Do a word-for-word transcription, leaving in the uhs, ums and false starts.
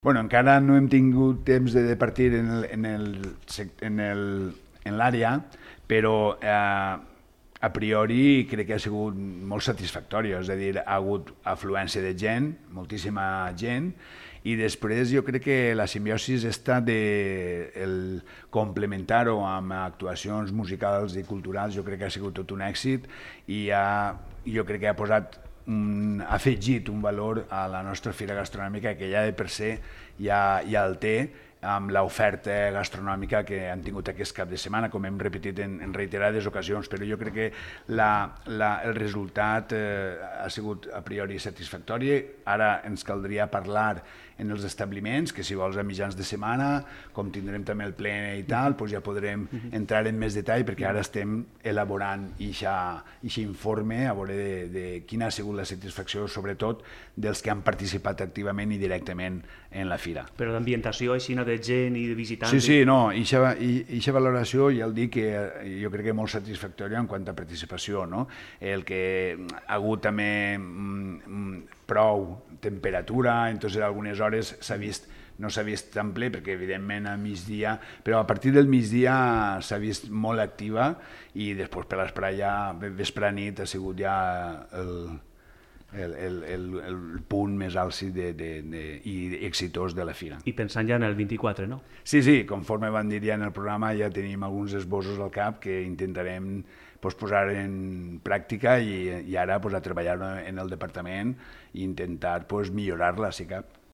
Bueno, encara no hem tingut temps de partir en el, en el, en el, en l'àrea, però eh, a priori crec que ha sigut molt satisfactori, és a dir, ha hagut afluència de gent, moltíssima gent, i després jo crec que la simbiosi està de el complementar-ho amb actuacions musicals i culturals, jo crec que ha sigut tot un èxit i ha, jo crec que ha posat un, ha afegit un valor a la nostra fira gastronòmica que ja de per se ja, ja el té amb l'oferta gastronòmica que han tingut aquest cap de setmana, com hem repetit en, en reiterades ocasions, però jo crec que la, la, el resultat eh, ha sigut a priori satisfactori. Ara ens caldria parlar en els establiments, que si vols a mitjans de setmana, com tindrem també el ple i tal, doncs ja podrem entrar en més detall, perquè ara estem elaborant aquest informe a veure de, de quina ha sigut la satisfacció, sobretot dels que han participat activament i directament en la fira. Però d'ambientació així, de gent i de visitants... Sí, sí, no, aquesta valoració ja el dic que jo crec que és molt satisfactòria en quant a participació, no? El que ha hagut també mm, prou temperatura, entonces algunes hores s'ha vist, no s'ha vist tan ple perquè evidentment a migdia, però a partir del migdia s'ha vist molt activa i després per l'esprà ja, vespre nit ha sigut ja el... El, el, el, el punt més àlcid de, de, de, i exitós de la fira. I pensant ja en el vint-i-quatre, no? Sí, sí, conforme van dir ja en el programa ja tenim alguns esbossos al cap que intentarem pues, posar en pràctica i, i ara pues, a treballar en el departament i intentar pues, millorar-la, si cap.